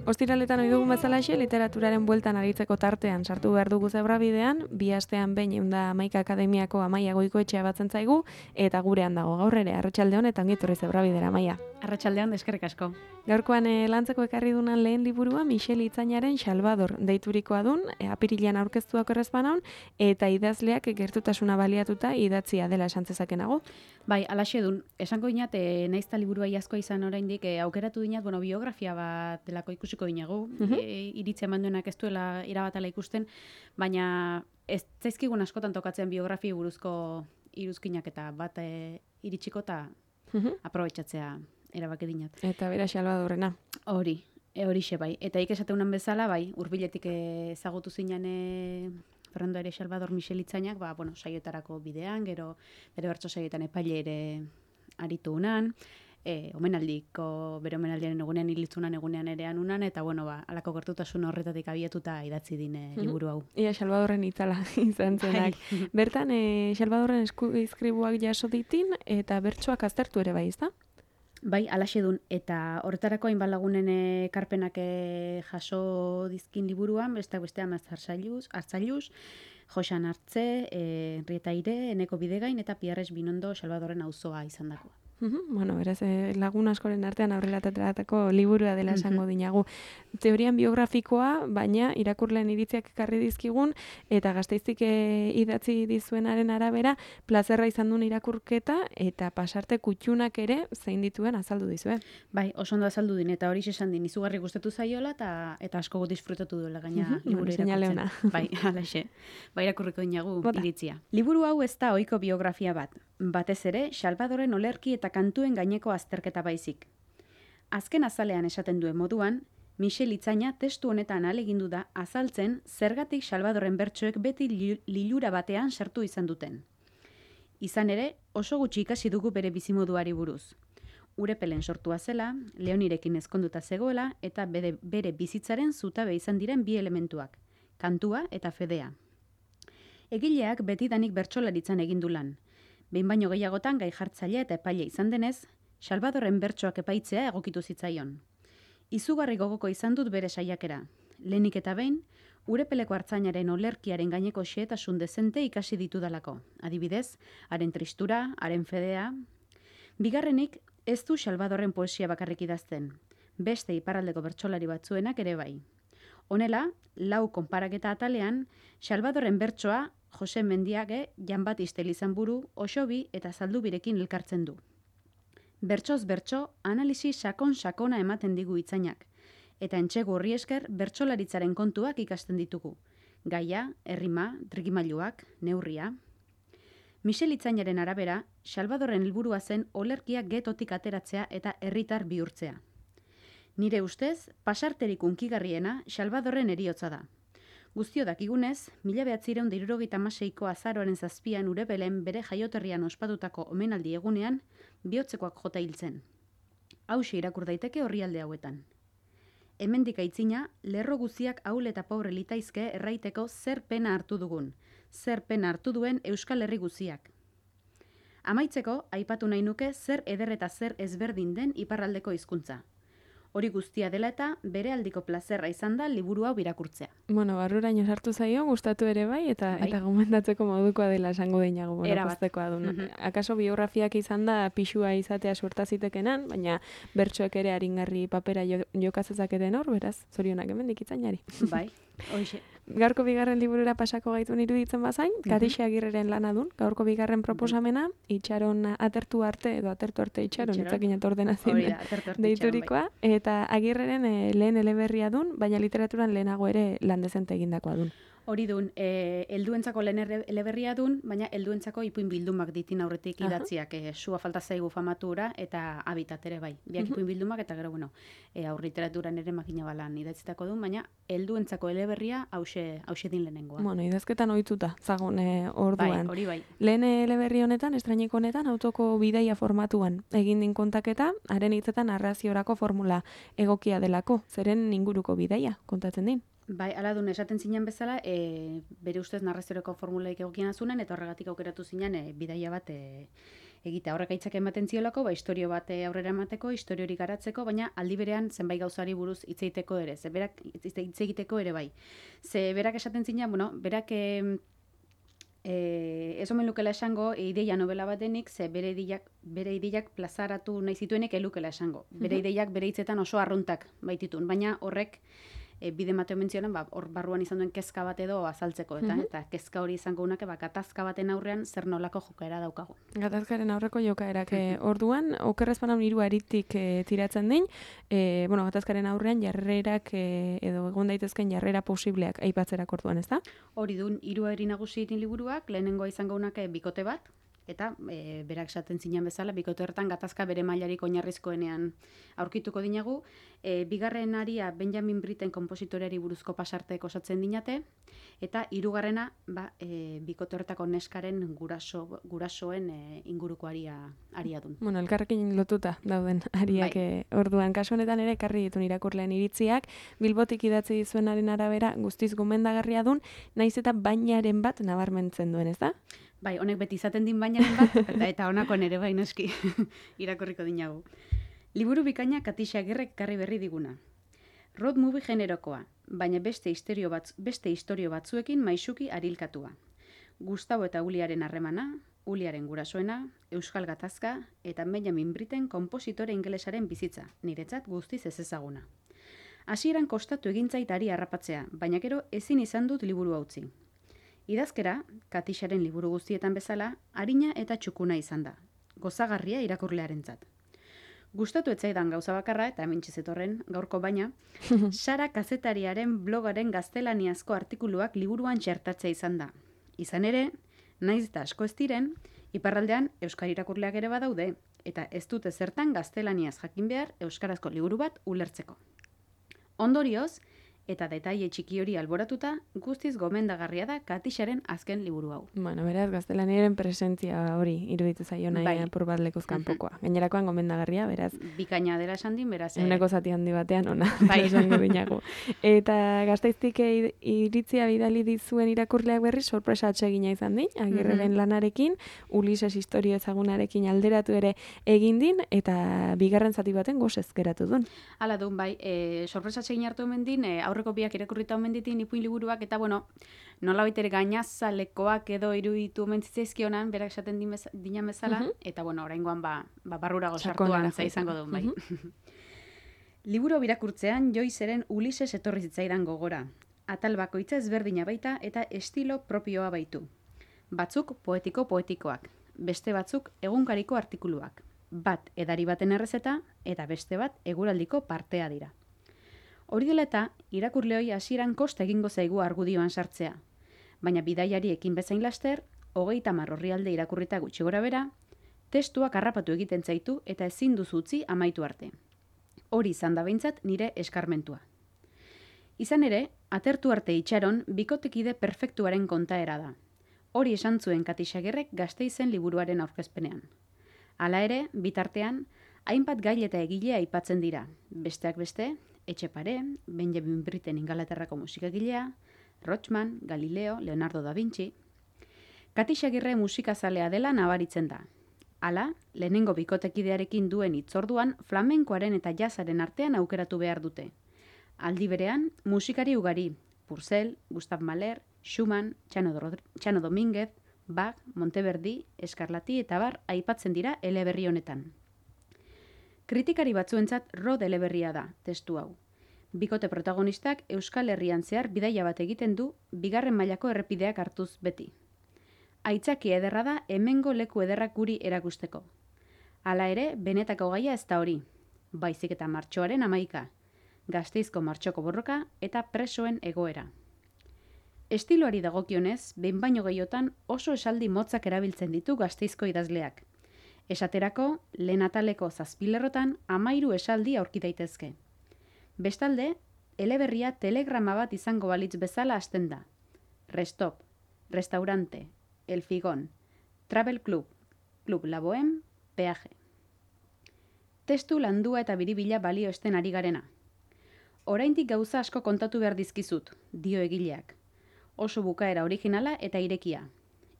Ostiraletan ohi dugun bezalaxe, literaturaren bueltan aritzeko tartean sartu behar dugu zebrabidean, bi astean behin 111 Akademiako Amaia Goikoetxea batzen zaigu, eta gurean dago gaur ere, arratsaldeon eta ongi etorri zebrabidera, Amaia. Arratsaldeon, eskerrik asko. Gaurkoan lantzeko ekarri dunan lehen liburua Michel Itzañaren Salvador deiturikoa dun, apirilean aurkeztuak errezpanaun, eta idazleak gertutasuna baliatuta idatzia dela esan zezakenago. Bai, alaxe dun, esango dinat, naizta liburua iazkoa izan oraindik, aukeratu dinat, biografia bat delako ikusiko dinagu, iritzia manduenak ez duela irabatala ikusten, baina ez zaizkigun askotan tokatzen biografia buruzko iruzkinak eta bat iritsiko eta aprobetxatzea erabaki dinat. Eta bera Salvadorrena. Horixe bai. Eta ikesateunan bezala, bai, hurbiletik ezagutu zinan Fernando ere Salvador Michel Itzañak, saioetarako bidean, gero bere bertso saioetan epaile ere aritu unan, bere omenaldiaren egunean hilitzunan egunean erean unan, eta alako gertutasun horretatik abiatuta idatzi dine liburu hau. Ia Salvadorren itzala izan zenak. Bertan, Salvadorren izkribuak jaso ditin, eta bertsoak aztertu ere bai, ezta? Bai, alaxe dun, eta horretarako hainbat lagunen ekarpenak jaso dizkin liburuan, bestean Hartzailuz, Joxan Artze, Henrieta Aire, Eneko Bidegain eta Pierres Binondo Salvadorren auzoa izan dako. Beraz, lagun askoren artean aurrelatatako liburua dela esango dinagu. Teorian biografikoa, baina irakurleen iritziak ekarri dizkigun, eta Gasteiztik idatzi dizuenaren arabera, plazerra izan duen irakurketa, eta pasarte kutxunak ere zein dituen azaldu dizue. Bai, oso ondo azaldu din, eta hori esan din, izugarri gustatu zaiola, eta asko disfrutatu duela gaina liburu irakurtzen. Bai, alaxe. Bai, irakurriko dinagu iritzia. Liburu hau ez da ohiko biografia bat. Batez ere, Salvadorren olerki eta kantuen gaineko azterketa baizik. Azken azalean esaten duen moduan, Michel Itzaña testu honetan ahalegindu da azaltzen zergatik Salvadorren bertsoek beti lilura batean sartu izan duten. Izan ere, oso gutxi ikasi dugu bere bizimoduari buruz. Urepelen sortua zela, Leonirekin ezkonduta zegoela eta bere bizitzaren zutabe izan diren bi elementuak, kantua eta fedea. Egileak betidanik bertsolaritzan egin du lan. Behin baino gehiagotan gai jartzailea eta epaile izan denez, Salvadorren bertsoak epaitzea egokitu zitzaion. Izugarri gogoko izan dut bere saiakera. Lehenik eta behin, Urepeleko artzainaren olerkiaren gaineko xehetasun dezente ikasi ditudalako. Adibidez, haren tristura, haren fedea. Bigarrenik, ez du Salvadorren poesia bakarrik idazten. Beste iparraldeko bertsolari batzuenak ere bai. Honela, 4 konparaketa atalean, Salvadorren bertsoa Jose Mendiage, Jan Batiste Elizanburu, Osobi eta Zaldubirekin elkartzen du. Bertsoz bertso, analisi sakona ematen digu Itzañak, eta entsegu horri esker bertsolaritzaren kontuak ikasten ditugu. Gaia, errima, trikimailuak, neurria. Michel Itzañaren arabera, Salvadorren helburua zen olerkia getotik ateratzea eta herritar bihurtzea. Nire ustez, pasarterik unkigarriena Salvadorren heriotza da. Guztio dakigunez, 1976ko azaroaren 7 Urepelen bere jaioterrian ospatutako omenaldi egunean, bihotzekoak jota hiltzen. Hauxe irakur daiteke orrialde hauetan. Hemendik aitzina, lerro guziak ahul eta pobre litaizke erraiteko zer pena hartu dugun, zer pena hartu duen Euskal Herri guziak. Amaitzeko, aipatu nahi nuke zer eder eta zer ezberdin den iparraldeko hizkuntza. Hori guztia dela eta bere aldiko plazerra izan da liburu hau irakurtzea. Barruraino sartu zaio, gustatu ere bai, eta gomendatzeko modukoa dela esango deinago, poztekoa duen. Akaso biografiak izan da pixua izatea suertazitekenan, baina bertsoek ere aringarri papera jokazezaketen hor, beraz, zorionak hemendik Itzañari. Bai, hoxe. Gaurko bigarren liburura pasako gaitun iruditzen bazain, Katixe Agirreren lana dun, gaurko bigarren proposamena, itxaron atertu arte, edo atertu arte itxaron, itzakinat ordenazien deiturikoa, eta Agirreren lehen eleberria dun, baina literaturan lehenago ere lan dezente egindakoa dun. Hori dun, helduentzako lehen eleberria dun, baina helduentzako ipuin bildumak ditin aurretik idatziak, sua falta zaigu famatura eta habitat ere bai. Biak ipuin bildumak eta gero, bueno, aurliteraturan ere makina balan idatzitako dun, baina helduentzako eleberria hause din lehenengoa. Bueno, idazketan ohituta, zagun orduan. Bai, hori bai. Lehen eleberri honetan, estrainiko honetan, autoko bidaia formatuan egin din kontaketa, haren hitzetan narraziorako formula egokia delako, zeren inguruko bidaia kontatzen din. Bai, ala dun, esaten zinen bezala, bere ustez narraziorako formulaik egokian azunen, eta horregatik aukeratu zinen bidaia bat egitea. Horrek aitzak ematen ziolako, historio bat aurrera emateko, historiorik garatzeko, baina aldi berean zenbait gauzari buruz hitz egiteko ere, hitz egiteko ere bai. Ze berak esaten zinen, bueno, berak ez omen lukela esango ideia novela batenik, ze bere ideiak plazaratu nahi zituenek elukela esango. Bere ideiak bere hitzetan oso arruntak baititun, baina horrek bide mateo mentzionan, hor barruan izan duen kezka bat edo azaltzeko, eta kezka hori izango unake, gatazka baten aurrean zer nolako jokaera daukagu. Gatazkaren aurreko jokaerak orduan, okerrezpanan hiru aritik tiratzen din, gatazkaren aurrean jarrerak edo egon daitezken jarrera posibleak aipatzerak orduan, ez da? Hori dun, hiru ari nagusi ditin liburuak, lehenengoa izango unake bikote bat, eta berak esaten zinen bezala, bikote horretan gatazka bere mailarik oinarrizkoenean aurkituko dinagu. Bigarren aria Benjamin Britten konpositoreari buruzko pasartek osatzen dinate, eta hirugarrena bikote horretako neskaren gurasoen inguruko aria dun. Bueno, elkarrekin lotuta dauden ariak orduan. Kasu honetan ere, ekarri ditun irakurleen iritziak, Bilbotik idatzi dizuenaren arabera guztiz gomendagarria dun, naiz eta bainaren bat nabarmentzen duen, ez da? Bai, honek beti izaten din bainaren bat, eta honako nere bai noski irakurriko dinagu. Liburu bikaina Katixa Agirrek karri berri diguna. Road movie generokoa, baina beste istorio batzuekin maisuki arilkatua. Gustavo eta Uliaren harremana, Uliaren gurasoena, Euskal Gatazka eta Benjamin Britten konpositore ingelesaren bizitza, niretzat guztiz ez ezaguna. Hasieran kostatu egintzaitari harrapatzea, baina gero ezin izan dut liburu utzi. Idazkera, Katixaren liburu guztietan bezala, arina eta txukuna izan da, gozagarria irakurlearentzat. Gustatu etzaidan gauza bakarra, eta hemen txizetorren gaurko baina, Sara kazetariaren blogaren gaztelaniazko artikuluak liburuan txertatzea izan da. Izan ere, naiz eta asko ez diren, iparraldean euskal irakurleak ere badaude, eta ez dute zertan gaztelaniaz jakin behar euskarazko liburu bat ulertzeko. Ondorioz, eta detaile txiki hori alboratuta, guztiz gomendagarria da Katixaren azken liburu hau. Bueno, beraz, gaztelaniaren presentzia hori iruditu zaio nahi apur bat lekuz kanpokoa. Gainerakoan gomendagarria, beraz. Bikaina dela esan din, beraz. Euneko zati handi batean, ona, esango dinago. Eta Gasteiztik iritzia bidali dizuen irakurleak berri, sorpresa atsegina izan din, Agirreren lanarekin, Ulises historio ezagunarekin alderatu ere egin din, eta bigarren zati baten gozez geratu duen. Hala duen, bai, sorpresa atsegin hartu hemen din, aurreko biak irakurrita omen ditin ipuin liburuak, eta bueno, nola baitere gainazalekoak edo iruditu omen zitzaizkionan, berak esaten dinan bezala, eta bueno, oraingoan barrura gozartuan izango duen, bai. Liburu birakurtzean Joyceren Ulises etorri zitzaidan gogora. Atal bakoitza ezberdina baita eta estilo propioa baitu. Batzuk poetikoak, beste batzuk egunkariko artikuluak. Bat edari baten errezeta eta beste bat eguraldiko partea dira. Hori dela eta, irakurleoi hasieran kosta egingo zaigu argudioan sartzea. Baina bidaiari ekin bezain laster, 30 orrialde irakurrita gutxi gora bera, testuak harrapatu egiten zaitu eta ezin duzu utzi amaitu arte. Hori izan da behintzat nire eskarmentua. Izan ere, atertu arte itxaron bikotekide perfektuaren kontaera da. Hori esan zuen Katixa Agirrek Gasteizen liburuaren aurkezpenean. Hala ere, bitartean, hainbat gail eta egile aipatzen dira, besteak beste, Etxepare, Benjamin Britten Ingalaterrako musikagilea, Rochman, Galileo, Leonardo da Vinci. Katixa Agirre musikazalea dela nabaritzen da. Hala, lehenengo bikotekidearekin duen hitzorduan flamenkoaren eta jazzaren artean aukeratu behar dute. Aldi berean, musikari ugari, Purcell, Gustav Mahler, Schumann, Txano Domínguez, Bach, Monteverdi, Escarlati eta bar aipatzen dira eleberri honetan. Kritikari batzuentzat rod eleberria da, testu hau. Bikote protagonistak Euskal Herrian zehar bidaia bat egiten du, bigarren mailako errepideak hartuz beti. Aitzaki ederra da hemengo leku ederrak guri erakusteko. Hala ere, benetako gaia ez da hori, baizik eta martxoaren 11, Gasteizko martxoko borroka eta presoen egoera. Estiloari dagokionez, behin baino gehiotan oso esaldi motzak erabiltzen ditu Gasteizko idazleak. Esaterako, lehen ataleko 7 lerrotan 13 esaldi aurki daitezke. Bestalde, eleberria telegrama bat izango balitz bezala hasten da. Restop, restaurante, el figón, travel club, club la bohème, peaje. Testu landua eta biribila balio esten ari garena. Oraindik gauza asko kontatu behar dizkizut, dio egileak. Oso bukaera originala eta irekia.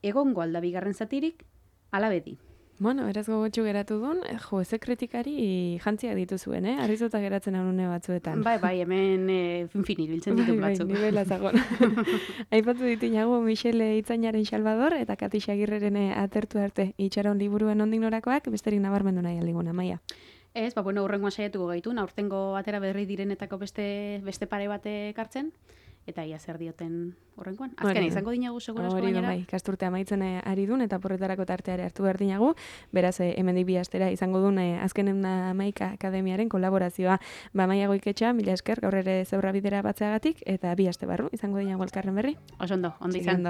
Egongo alda bigarren zatirik, ala beti. Bueno, beraz gogotxu geratu duen, ze kritikari jantziak dituzuen, Arrizuta geratzen anune batzuetan. Bai, hemen finfinit biltzen ditut batzuk. Bai, nivela zagon. Aipatu ditinago Michele Itzainaren Salvador eta Kati Xagirreren atertu arte itxaron liburuen ondik norakoak, besterik nabarmendu nahi aldiguna, Maia. Ez, urrengoan saiatuko gaitu, aurtengo atera berri direnetako beste pare bate kartzen. Eta ia zer dioten horrenkoan. Azken izango dinagu segurazko gainera. Bai, kasturtea amaitzen ari dun eta porretarako tarteare hartu behar dinagu. Beraz, hemendik bi astera izango dun azkenen Hamaika Akademiaren kolaborazioa. Maia Goiketxa, mila esker, gaur ere zeurra bidera batzeagatik, eta bi aste barru izango dinagu elkarren berri. Oso ondo izan.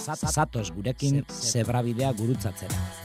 Zatoz gurekin zebrabidea gurutzatzera.